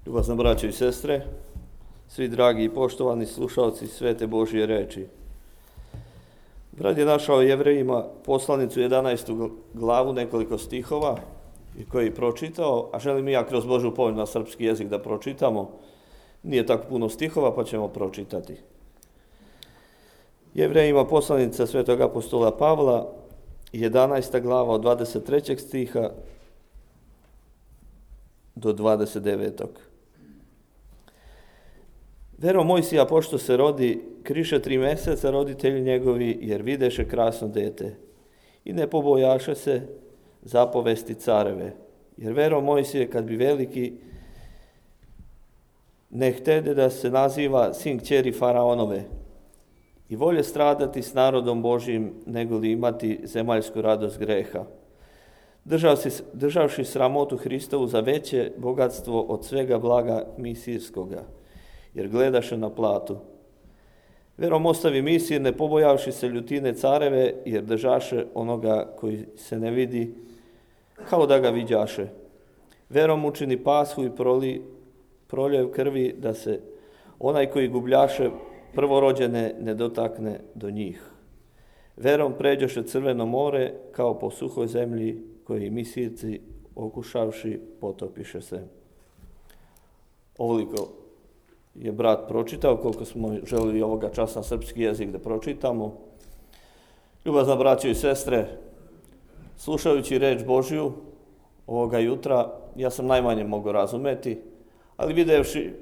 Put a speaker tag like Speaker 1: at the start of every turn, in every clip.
Speaker 1: Ljubazna braćo i sestre, svi dragi i poštovani slušalci svete Božje reči. Brat je našao Jevrejima poslanicu 11. glavu, nekoliko stihova i koji je pročitao, a želim i ja kroz Božju povelju na srpski jezik da pročitamo. Nije tako puno stihova, pa ćemo pročitati. Jevrejima poslanica svetog apostola Pavla, 11. glava od 23. stiha do 29. Verom Mojsija, pošto se rodi, kriše 3 meseca roditelji njegovi, jer videše krasno dete. I ne pobojaše se zapovesti careve. Jer verom Mojsije, kad bi veliki, ne htede da se naziva sin kćeri faraonove. I volje stradati s narodom Božjim, nego li imati zemaljsku radost greha. Državši sramotu Hristovu za veće bogatstvo od svega blaga misijskoga, jer gledaše na platu. Verom ostavi misije, ne pobojavši se ljutine careve, jer držaše onoga koji se ne vidi, kao da ga viđaše. Verom učini pashu i proljev krvi, da se onaj koji gubljaše prvorođene ne dotakne do njih. Verom pređoše Crveno more, kao po suhoj zemlji, koji misijci okušavši potopiše se. Ovoliko je brat pročitao, koliko smo želili ovoga časa srpski jezik da pročitamo. Ljubazna braćo i sestre, slušajući reč Božju ovoga jutra, ja sam najmanje mogao razumeti, ali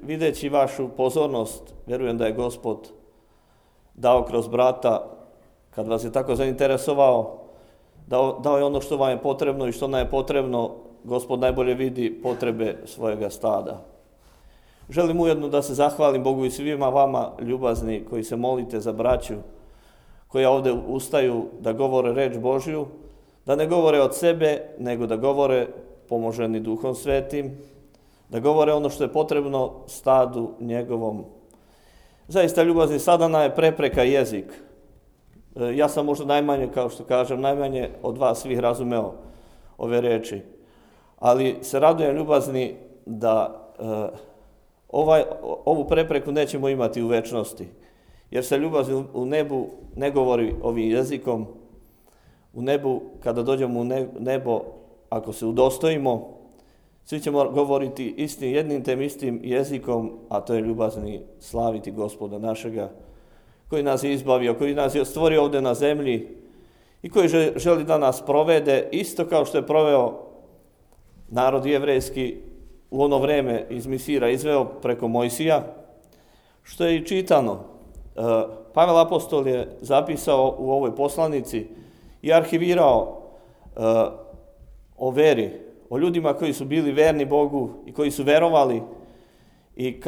Speaker 1: videći vašu pozornost, vjerujem da je Gospod dao kroz brata, kad vas je tako zainteresovao, dao je ono što vam je potrebno i što nam je potrebno. Gospod najbolje vidi potrebe svojega stada. Želim ujedno da se zahvalim Bogu i svima vama ljubazni koji se molite za braću, koji ovdje ustaju da govore reč Božju, da ne govore od sebe, nego da govore pomoženi Duhom Svetim, da govore ono što je potrebno stadu njegovom. Zaista ljubazni, sada nam je prepreka jezik. Ja sam možda najmanje, kao što kažem, najmanje od vas svih razumeo ove reči. Ali se radujem ljubazni da ovu prepreku nećemo imati u večnosti. Jer se ljubazni u nebu ne govori ovim jezikom. U nebu, kada dođemo u nebo, ako se udostojimo, svi ćemo govoriti istim, jednim tem istim jezikom, a to je ljubazni slaviti Gospoda našega, koji nas je izbavio, koji nas je stvorio ovdje na zemlji i koji želi da nas provede isto kao što je proveo narod jevrejski u ono vreme iz Misira, izveo preko Mojsija, što je i čitano. Pavel apostol je zapisao u ovoj poslanici i arhivirao o veri, o ljudima koji su bili verni Bogu i koji su verovali i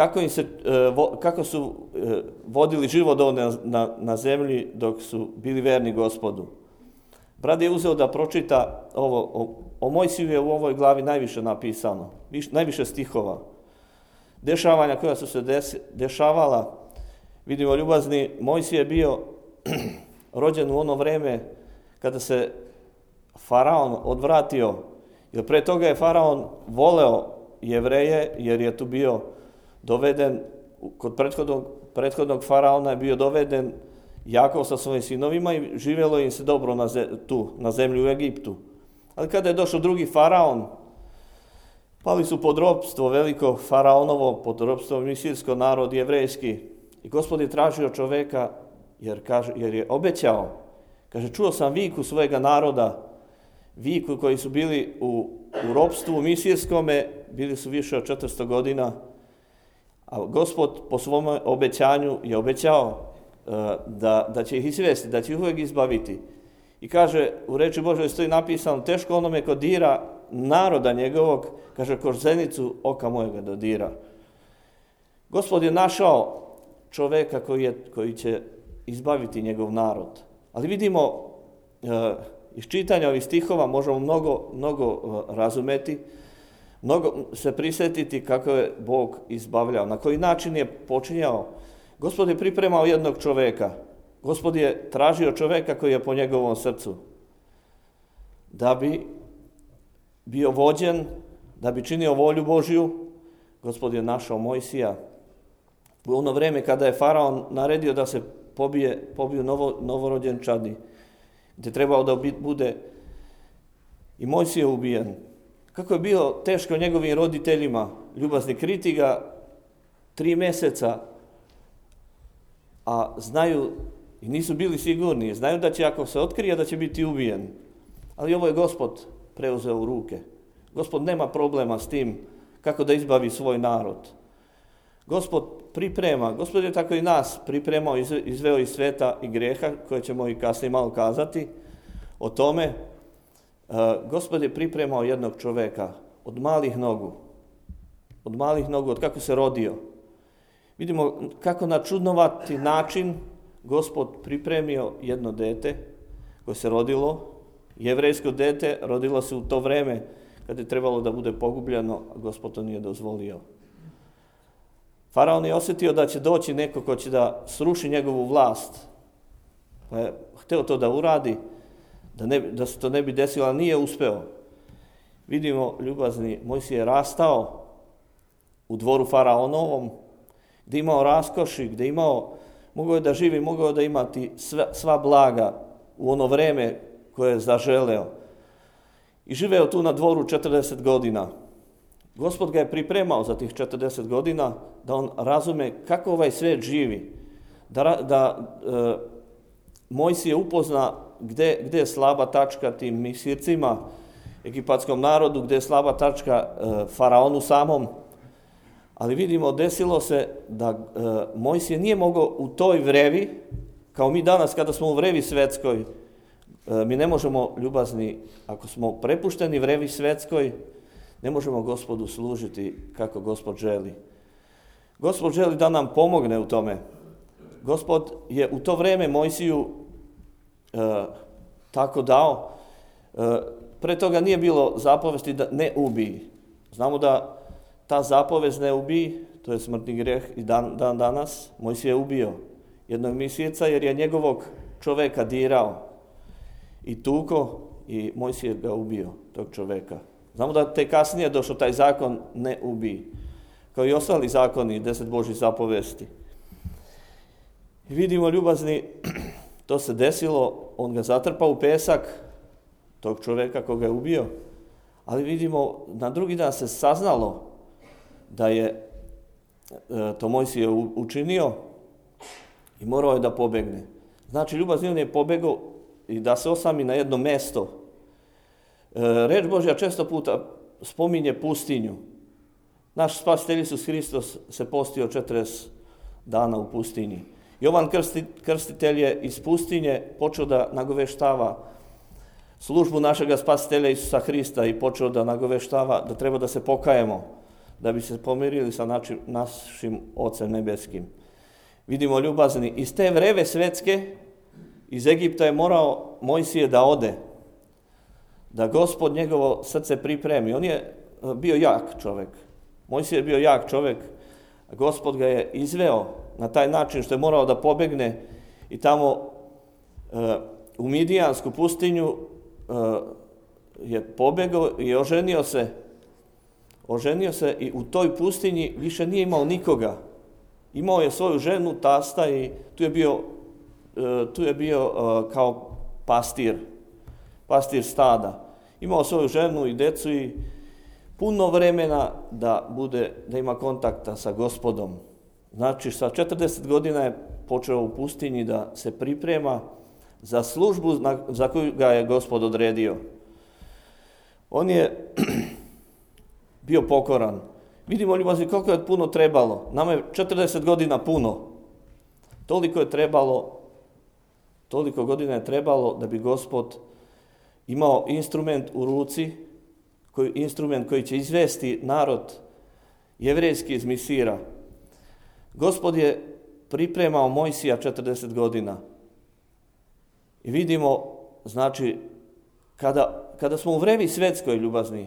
Speaker 1: kako su vodili život ovdje na zemlji dok su bili verni Gospodu. Brat je uzeo da pročita ovo. O Mojsiju je u ovoj glavi najviše napisano, najviše stihova. Dešavanja koja su se dešavala, vidimo ljubazni, Mojsije je bio rođen u ono vreme kada se faraon odvratio, jer pre toga je faraon voleo Jevreje, jer je tu bio doveden, kod prethodnog faraona je bio doveden Jakov sa svojim sinovima i živjelo im se dobro na zemlji u Egiptu. Ali kada je došao drugi faraon, pali su pod ropstvo, veliko faraonovo, pod ropstvo misirsko, narod jevrejski. I Gospod je tražio čoveka, jer je obećao. Kaže, čuo sam viku svojega naroda, viku koji su bili u ropstvu misirskome, bili su više od 400 godina, a Gospod po svom obećanju je obećao da će ih izvesti, da će ih uvijek izbaviti. I kaže, u reči Božoj stoji napisano, teško onome ko dira naroda njegovog, kaže, ko zenicu oka mojega dodira. Gospod je našao čoveka koji će izbaviti njegov narod. Ali vidimo, iz čitanja ovih stihova možemo mnogo razumeti, mnogo se prisjetiti kako je Bog izbavljao, na koji način je počinjao. Gospod je pripremao jednog čoveka. Gospod je tražio čoveka koji je po njegovom srcu, da bi bio vođen, da bi činio volju Božju, Gospod je našao Mojsija u ono vrijeme kada je faraon naredio da se pobiju novorođenčadi, gdje trebao da bude i Mojsije ubijen. Kako je bio teško njegovim roditeljima, ljubazni, kriti ga 3 mjeseca, a znaju i nisu bili sigurni, znaju da će, ako se otkrije, da će biti ubijen. Ali ovo je Gospod preuzeo u ruke. Gospod nema problema s tim kako da izbavi svoj narod. Gospod priprema, Gospod je tako i nas pripremao, izveo iz sveta i grijeha, koje ćemo i kasnije malo kazati o tome. Gospod je pripremao jednog čoveka od malih nogu, od kako se rodio. Vidimo kako na čudnovati način Gospod pripremio jedno dete koje se rodilo, jevrejsko dete, rodilo se u to vreme kad je trebalo da bude pogubljeno, a Gospod to nije dozvolio. Faraon je osjetio da će doći neko ko će da sruši njegovu vlast. Pa je hteo to da uradi, da se to ne bi desilo, ali nije uspeo. Vidimo, ljubazni, Mojsije je rastao u dvoru faraonovom, gdje imao raskoši, gdje mogao je da živi, mogao je da imati sva blaga u ono vreme koje je zaželeo. I živeo tu na dvoru 40 godina. Gospod ga je pripremao za tih 40 godina da on razume kako ovaj svijet živi. Da Mojsije upozna gdje je slaba tačka tim Misircima, egipatskom narodu, gdje je slaba tačka faraonu samom. Ali vidimo, desilo se da Mojsije nije mogao u toj vrevi, kao mi danas kada smo u vrevi svetskoj, mi ne možemo, ljubazni, ako smo prepušteni vrevi svetskoj, ne možemo Gospodu služiti kako Gospod želi. Gospod želi da nam pomogne u tome. Gospod je u to vrijeme Mojsiju tako dao. Pre toga nije bilo zapovesti da ne ubij. Znamo da ta zapovest ne ubij, to je smrtni grijeh i dan danas. Mojsije je ubio jednog Misirca jer je njegovog čoveka dirao i tuko i Mojsije ga ubio, tog čoveka. Znamo da te kasnije došao taj zakon ne ubij, kao i ostali zakoni, 10 Božjih zapovesti. I vidimo, ljubazni, to se desilo, on ga zatrpao u pesak, tog čoveka koga je ubio, ali vidimo, na drugi dan se saznalo da je to Mojsije učinio i morao je da pobegne. Znači, ljubazni, on je pobegao i da se osami na jedno mesto. Reč Božja često puta spominje pustinju. Naš spasitelj Isus Hristos se postio 40 dana u pustinji. Jovan Krstitelj je iz pustinje počeo da nagoveštava službu našega spasitelja Isusa Hrista i počeo da nagoveštava da treba da se pokajemo, da bi se pomirili sa našim Ocem nebeskim. Vidimo, ljubazni, iz te vreve svetske, iz Egipta je morao Mojsije da ode, da Gospod njegovo srce pripremi. On je bio jak čovjek. Mojsije je bio jak čovjek. Gospod ga je izveo na taj način što je morao da pobegne i tamo u Midijansku pustinju je pobegao i oženio se. Oženio se i u toj pustinji više nije imao nikoga. Imao je svoju ženu, tasta i tu je bio kao pastir stada. Imao svoju ženu i decu i puno vremena da ima kontakta sa Gospodom. Znači, sa 40 godina je počeo u pustinji da se priprema za službu za koju ga je Gospod odredio. On je bio pokoran. Vidimo, ljubazni, koliko je puno trebalo. Nama je 40 godina puno. Toliko godina je trebalo da bi Gospod imao instrument u ruci, instrument koji će izvesti narod jevrejski iz Misira. Gospod je pripremao Mojsija 40 godina. I vidimo, znači, kada smo u vrevi svetskoj, ljubazni,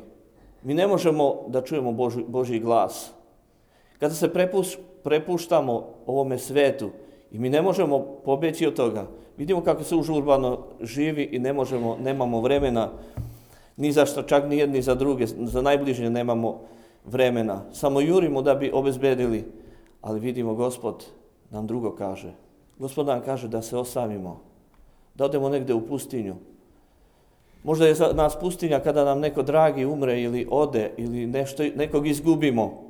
Speaker 1: mi ne možemo da čujemo Božji glas. Kada se prepuštamo ovome svetu i mi ne možemo pobjeći od toga, vidimo kako se užurbano živi i nemamo vremena ni za što, čak ni jedni za druge, za najbližnje nemamo vremena. Samo jurimo da bi obezbedili, ali vidimo Gospod nam drugo kaže. Gospod nam kaže da se osamimo, da odemo negde u pustinju. Možda je za nas pustinja kada nam neko dragi umre ili ode ili nekog izgubimo.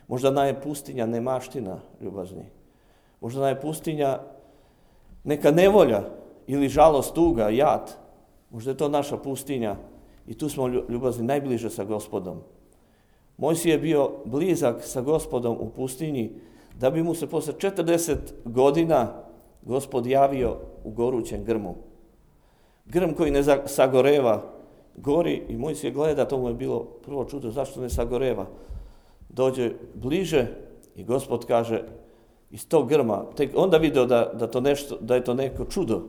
Speaker 1: Možda nam je pustinja nemaština, ljubazni. Možda nam je pustinja neka nevolja ili žalost, tuga, jad. Možda je to naša pustinja i tu smo, ljubazni, najbliže sa Gospodom. Mojsije je bio blizak sa Gospodom u pustinji, da bi mu se posle 40 godina Gospod javio u gorućem grmu. Grm koji ne sagoreva, gori i Mojsije gleda, to mu je bilo prvo čudo, zašto ne sagoreva. Dođe bliže i Gospod kaže, iz tog grma, tek onda video da je to neko čudo.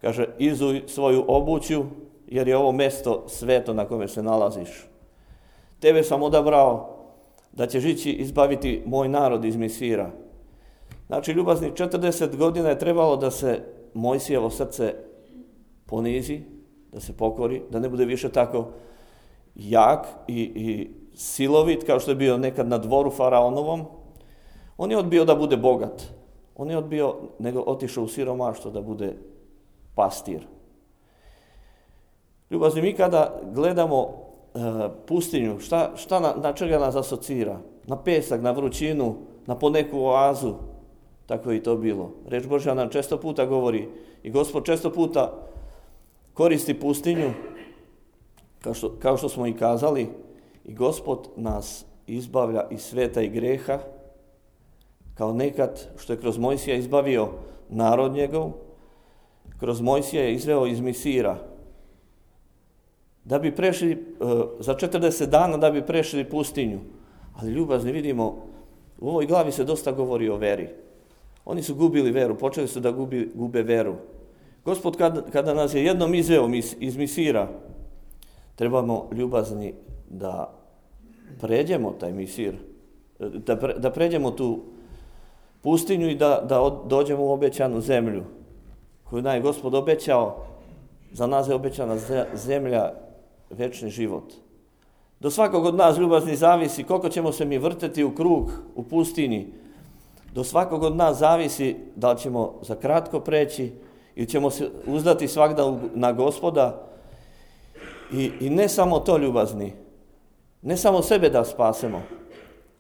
Speaker 1: Kaže, izuj svoju obuću, jer je ovo mesto sveto na kome se nalaziš. Tebe sam odabrao da ćeš ići izbaviti moj narod iz Misira. Znači, ljubazni, 40 godina je trebalo da se Mojsijevo srce ponizi, da se pokori, da ne bude više tako jak i silovit kao što je bio nekad na dvoru faraonovom. On je odbio da bude bogat. On je odbio, nego otišao u siromaštvo da bude pastir. Ljubazni, mi kada gledamo pustinju, na čega nas asocira? Na pesak, na vrućinu, na poneku oazu. Tako je i to bilo. Reč Božja nam često puta govori i Gospod često puta koristi pustinju, kao što smo i kazali, i Gospod nas izbavlja iz sveta i greha, kao nekad što je kroz Mojsija izbavio narod njegov, kroz Mojsija je izveo iz Misira, da bi prešli, za 40 dana da bi prešli pustinju. Ali ljubazni, vidimo, u ovoj glavi se dosta govori o veri. Oni su gubili veru, počeli su da gube veru. Gospod kada nas je jednom izveo iz Misira, trebamo, ljubazni, da pređemo taj Misir, da pređemo tu pustinju i da dođemo u obećanu zemlju, koju nam je Gospod obećao. Za nas je obećana zemlja, večni život. Do svakog od nas, ljubazni, zavisi koliko ćemo se mi vrteti u krug u pustinji. Do svakog od nas zavisi da li ćemo za kratko preći ili ćemo se uzdati svagda na Gospoda. I ne samo to, ljubazni, ne samo sebe da spasemo.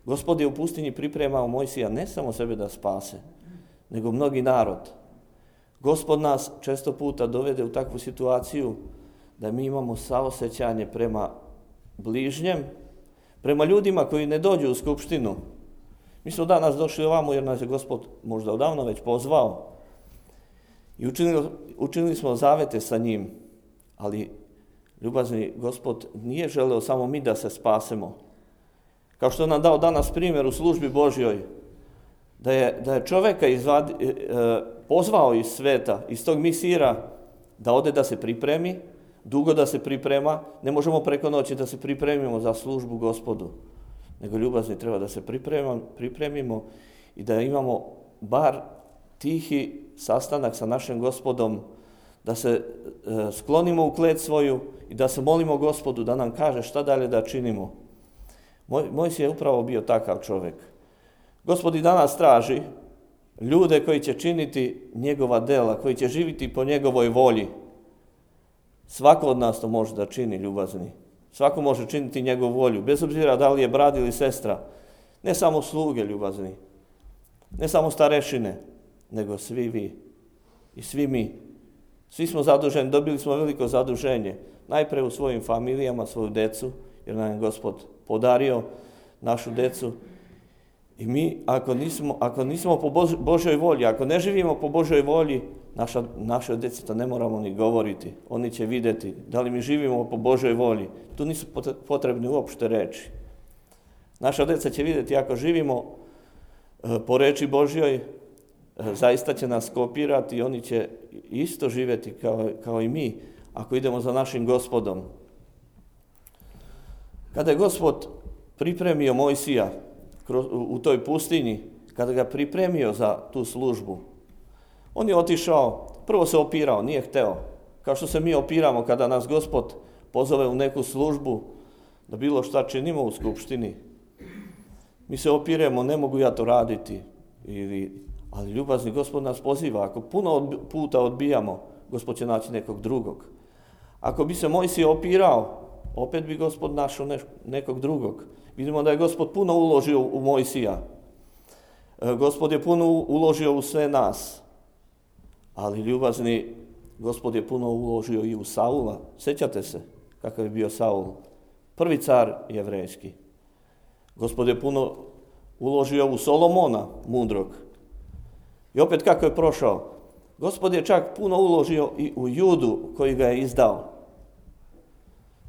Speaker 1: Gospod je u pustinji pripremao Mojsija ne samo sebe da spase, nego mnogi narod. Gospod nas često puta dovede u takvu situaciju da mi imamo saosećanje prema bližnjem, prema ljudima koji ne dođu u skupštinu. Mi smo danas došli ovamo jer nas je Gospod možda odavno već pozvao i učinili smo zavete sa njim, ali ljubazni, Gospod nije želeo samo mi da se spasemo. Kao što nam dao danas primjer u službi Božjoj, da je čoveka pozvao iz sveta, iz tog Misira, da ode da se pripremi, dugo da se priprema. Ne možemo preko noći da se pripremimo za službu Gospodu, nego, ljubazni, treba da se pripremimo i da imamo bar tihi sastanak sa našim Gospodom, da se sklonimo u klet svoju i da se molimo Gospodu da nam kaže šta dalje da činimo. Mojsije je upravo bio takav čovjek. Gospod i danas traži ljude koji će činiti njegova dela, koji će živjeti po njegovoj volji. Svako od nas to može da čini, ljubazni. Svako može činiti njegovu volju, bez obzira da li je brat ili sestra. Ne samo sluge, ljubazni, ne samo starešine, nego svi vi i svi mi. Svi smo zaduženi, dobili smo veliko zaduženje. Najpre u svojim familijama, svoju decu, jer nam je Gospod podario našu decu. I mi, ako nismo po Božoj volji, ako ne živimo po Božoj volji, našoj deci to ne moramo ni govoriti. Oni će vidjeti da li mi živimo po Božoj volji. Tu nisu potrebni uopšte reči. Naša deca će vidjeti ako živimo po reči Božjoj, zaista će nas kopirati i oni će isto živjeti kao i mi, ako idemo za našim Gospodom. Kada je Gospod pripremio Mojsija u toj pustinji, kada ga pripremio za tu službu, on je otišao, prvo se opirao, nije hteo. Kao što se mi opiramo kada nas Gospod pozove u neku službu, da bilo šta činimo u skupštini, Mi se opiremo, ne mogu ja to raditi. Ali ljubazni Gospod nas poziva. Ako puno puta odbijamo, Gospod će naći nekog drugog. Ako bi se Mojsije opirao, opet bi Gospod našao nekog drugog. Vidimo da je Gospod puno uložio u Mojsija. Gospod je puno uložio u sve nas. Ali ljubazni Gospod je puno uložio i u Saula. Sjećate se kakav je bio Saul? Prvi car jevrejski. Gospod je puno uložio u Solomona, mudrog. I opet kako je prošao? Gospod je čak puno uložio i u Judu koji ga je izdao.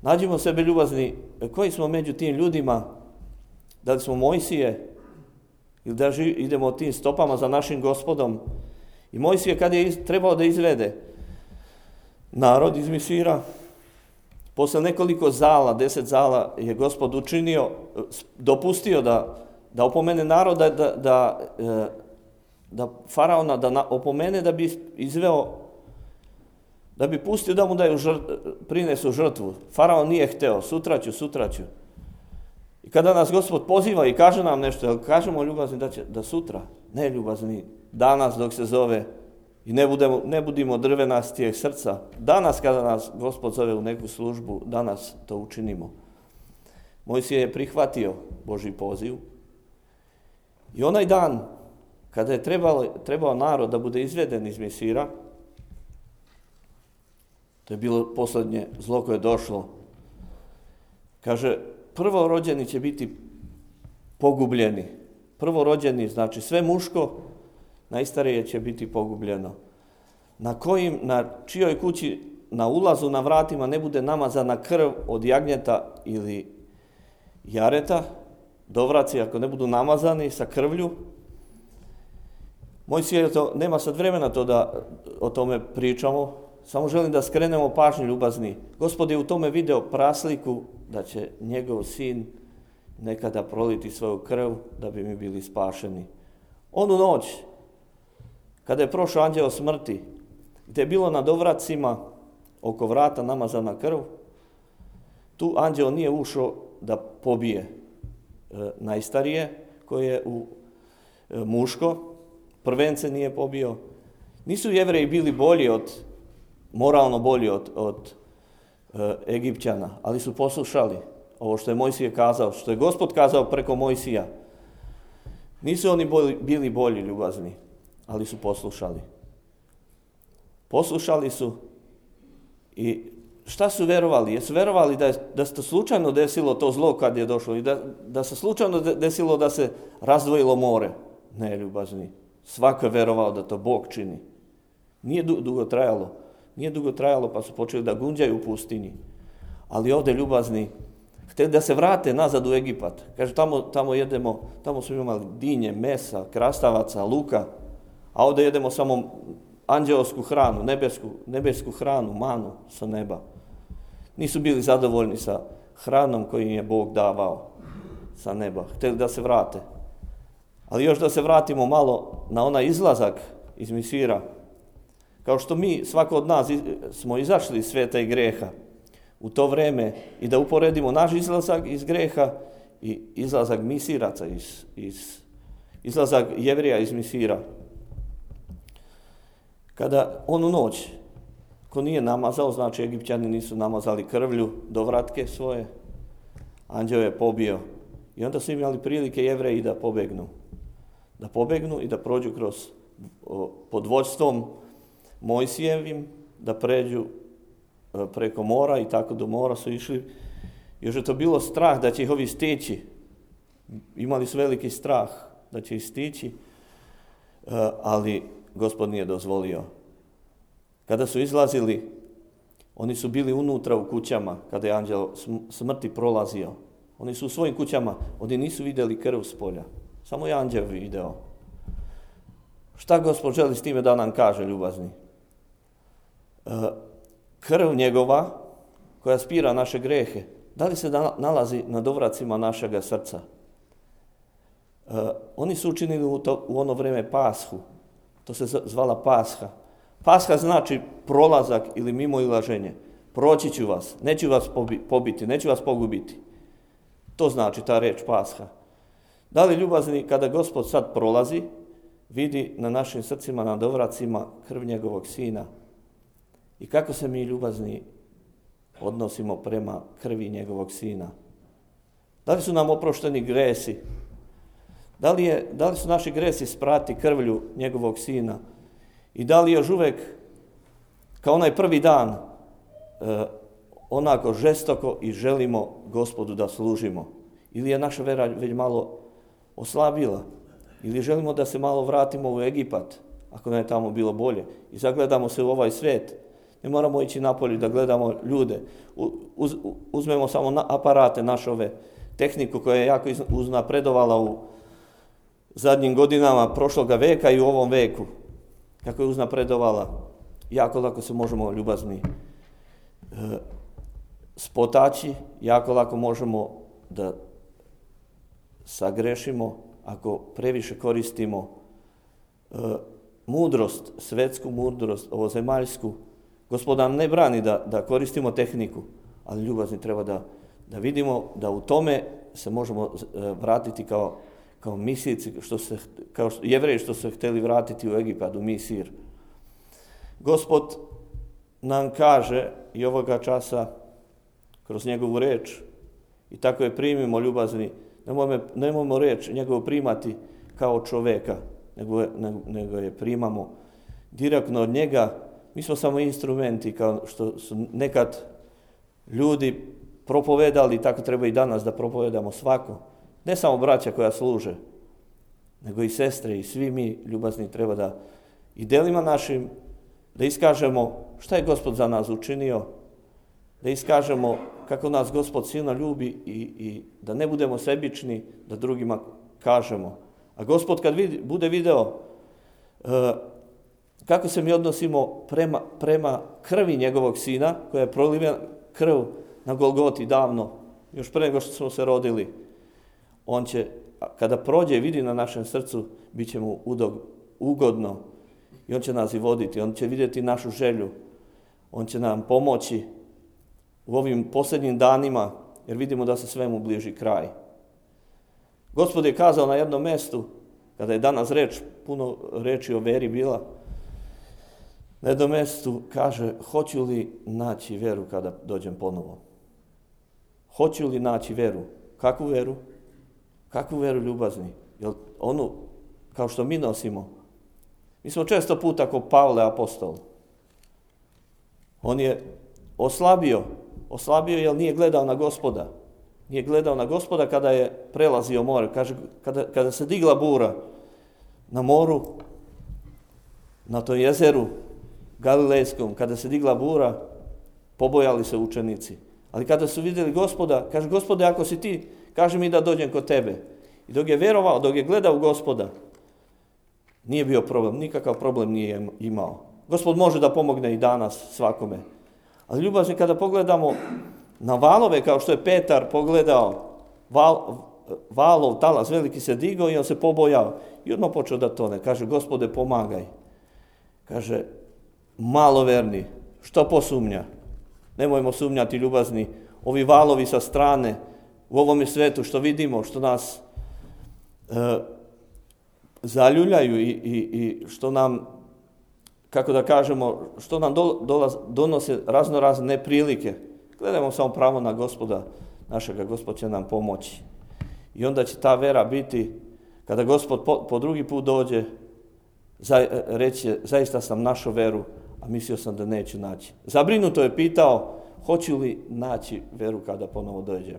Speaker 1: Nađimo sebe ljubazni, koji smo među tim ljudima, da li smo Mojsije ili da idemo tim stopama za našim Gospodom. I Mojsije kad je trebao da izvede narod iz Misira, posle nekoliko zala, 10 zala je Gospod učinio, dopustio da opomene naroda, da faraona da opomene da bi izveo, da bi pustio da mu prinesu žrtvu. Faraon nije hteo, sutra ću. I kada nas Gospod poziva i kaže nam nešto, jel kažemo ljubazni da sutra? Ne ljubazni, danas dok se zove i ne budimo drvenastijeg srca. Danas kada nas Gospod zove u neku službu, danas to učinimo. Mojsije je prihvatio Božji poziv i onaj dan kada je trebao narod da bude izveden iz Misira, to je bilo posljednje zlo koje je došlo. Kaže, prvorođeni će biti pogubljeni. Prvorođeni, znači sve muško, najstarije će biti pogubljeno. Na čijoj kući na ulazu, na vratima ne bude namazana krv od jagnjeta ili jareta, dovraci ako ne budu namazani sa krvlju. Mojsije, nema sad vremena to da o tome pričamo, samo želim da skrenemo pažnju ljubazni. Gospod je u tome video prasliku da će njegov sin nekada proliti svoju krv da bi mi bili spašeni. Onu noć, kada je prošao anđeo smrti, gdje je bilo na dovracima oko vrata namazana krv, tu anđeo nije ušao da pobije najstarije, koje je muško, prvence nije pobio. Nisu Jevreji bili moralno bolji od Egipćana, ali su poslušali ovo što je Mojsije kazao, što je Gospod kazao preko Mojsija. Nisu oni bili bolji ljubazni, ali su poslušali. Poslušali su i šta su verovali? Jesu verovali da se to slučajno desilo to zlo kad je došlo i da se slučajno desilo da se razdvojilo more? Ne, ljubazni. Svako je verovao da to Bog čini. Nije dugo trajalo pa su počeli da gunđaju u pustinji. Ali ovdje ljubazni htjeli da se vrate nazad u Egipat. Kaže, tamo jedemo, tamo smo imali dinje, mesa, krastavaca, luka, a ovdje jedemo samo anđeosku hranu, nebesku hranu, manu sa neba. Nisu bili zadovoljni sa hranom koju im je Bog davao sa neba. Htjeli da se vrate. Ali još da se vratimo malo na onaj izlazak iz Misira. Kao što mi, svako od nas, smo izašli iz svijeta i greha u to vrijeme i da uporedimo naš izlazak iz greha i izlazak Misiraca, izlazak Jevrija iz Misira. Kada onu noć, ko nije namazao, znači Egipćani nisu namazali krvlju do vratke svoje, anđeo je pobio. I onda su imali prilike Jevreji da pobegnu i da prođu pod vođstvom Mojsijevim, da pređu preko mora i tako do mora su išli. Još je to bilo strah da će ih ovi stići. Imali su veliki strah da će ih stići, ali Gospod nije dozvolio. Kada su izlazili, oni su bili unutra u kućama, kada je anđeo smrti prolazio. Oni su u svojim kućama, oni nisu vidjeli krv s polja. Samo je anđeo video. Šta Gospod želi s time da nam kaže, ljubazni? Krv njegova, koja spira naše grehe, da li se nalazi na dovracima našega srca? Oni su učinili u ono vrijeme Pashu. To se zvala Pasha. Pasha znači prolazak ili mimoilaženje. Proći ću vas, neću vas pobiti, neću vas pogubiti. To znači ta reč Pasha. Da li ljubazni kada Gospod sad prolazi, vidi na našim srcima, na dovracima krv njegovog Sina? I kako se mi ljubazni odnosimo prema krvi njegovog Sina? Da li su nam oprošteni gresi? Da li su naši gresi sprati krvlju njegovog Sina? I da li još uvijek, kao onaj prvi dan, onako žestoko i želimo Gospodu da služimo? Ili je naša vera već malo oslabila? Ili želimo da se malo vratimo u Egipat, ako nam je tamo bilo bolje, i zagledamo se u ovaj svijet? Ne moramo ići napolje da gledamo ljude. Uzmemo samo aparate naše, tehniku koja je jako uznapredovala u zadnjim godinama prošloga veka i u ovom veku. Kako je uznapredovala, jako lako se možemo ljubazni spotaći, jako lako možemo da sagrešimo ako previše koristimo mudrost, svetsku mudrost, ovozemaljsku. Gospod nam ne brani da koristimo tehniku, ali ljubazni treba da vidimo da u tome se možemo vratiti kao misijci, kao Jevreji što se htjeli vratiti u Egipat, u Misir. Gospod nam kaže i ovoga časa kroz njegovu reč, i tako je primimo ljubazni, nemojmo reč njegovu primati kao čoveka, nego je primamo direktno od njega. Mi smo samo instrumenti, kao što su nekad ljudi propovedali, tako treba i danas da propovedamo svako. Ne samo braća koja služe, nego i sestre i svi mi ljubazni treba da i delima našim da iskažemo šta je Gospod za nas učinio, da iskažemo kako nas Gospod silno ljubi i da ne budemo sebični, da drugima kažemo. A Gospod kad bude video kako se mi odnosimo prema krvi njegovog Sina, koja je prolivena krv na Golgoti davno, još pre nego što smo se rodili, on će, kada prođe i vidi na našem srcu, bit će mu ugodno i on će nas i voditi, on će vidjeti našu želju, on će nam pomoći u ovim posljednjim danima, jer vidimo da se svemu bliži kraj. Gospod je kazao na jednom mjestu, kada je danas puno reči o veri bila, na jednom mjestu kaže, hoću li naći veru kada dođem ponovo? Hoću li naći veru? Kakvu veru? Kakvu veru ljubazni? Jel onu kao što mi nosimo? Mi smo često puta kao Pavle apostol. On je oslabio jer nije gledao na Gospoda. Nije gledao na Gospoda kada je prelazio more. Kaže, kada se digla bura na moru, na tom jezeru Galilejskom, kada se digla bura, pobojali se učenici. Ali kada su vidjeli Gospoda, kaže, Gospode, ako si ti, kaži mi da dođem kod tebe. I dok je vjerovao, dok je gledao Gospoda, nije bio problem, nikakav problem nije imao. Gospod može da pomogne i danas svakome. Ali ljubazni, kada pogledamo na valove, kao što je Petar pogledao, valov talas veliki se digao i on se pobojao. I odmah počeo da tone. Kaže, Gospode, pomagaj. Kaže, maloverni, što posumnja? Nemojmo sumnjati, ljubazni, ovi valovi sa strane, u ovome svetu što vidimo, što nas zaljuljaju i što nam, kako da kažemo, što nam donose razne neprilike. Gledajmo samo pravo na Gospoda našega, Gospod će nam pomoći. I onda će ta vera biti, kada Gospod po drugi put dođe, reći, zaista sam našao veru, a mislio sam da neću naći. Zabrinuto je pitao, hoću li naći veru kada ponovo dođem.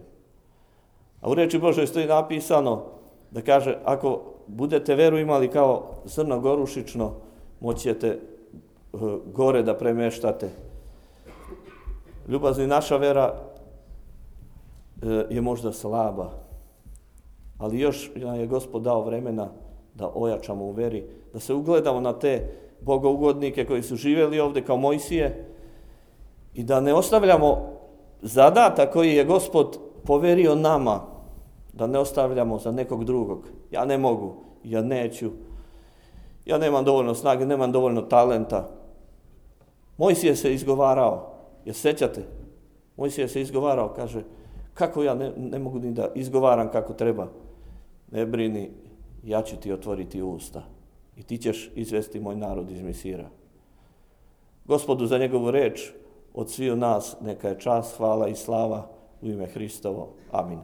Speaker 1: A u reči Božoj stoji napisano da kaže, ako budete veru imali kao zrno gorušično, moći ćete gore da premještate. Ljubazni, naša vera je možda slaba, ali još je Gospod dao vremena da ojačamo u veri, da se ugledamo na te bogougodnike koji su živjeli ovdje kao Mojsije i da ne ostavljamo zadatak koji je Gospod poverio nama, da ne ostavljamo za nekog drugog. Ja ne mogu, ja neću, ja nemam dovoljno snage, nemam dovoljno talenta. Mojsije se izgovarao, jer sećate? Mojsije se izgovarao, kaže, kako ja ne mogu ni da izgovaram kako treba. ne brini, ja ću ti otvoriti usta i ti ćeš izvesti moj narod iz Misira. Gospodu za njegovu reč, od sviju nas neka je čast, hvala i slava u ime Hristovo. Amin.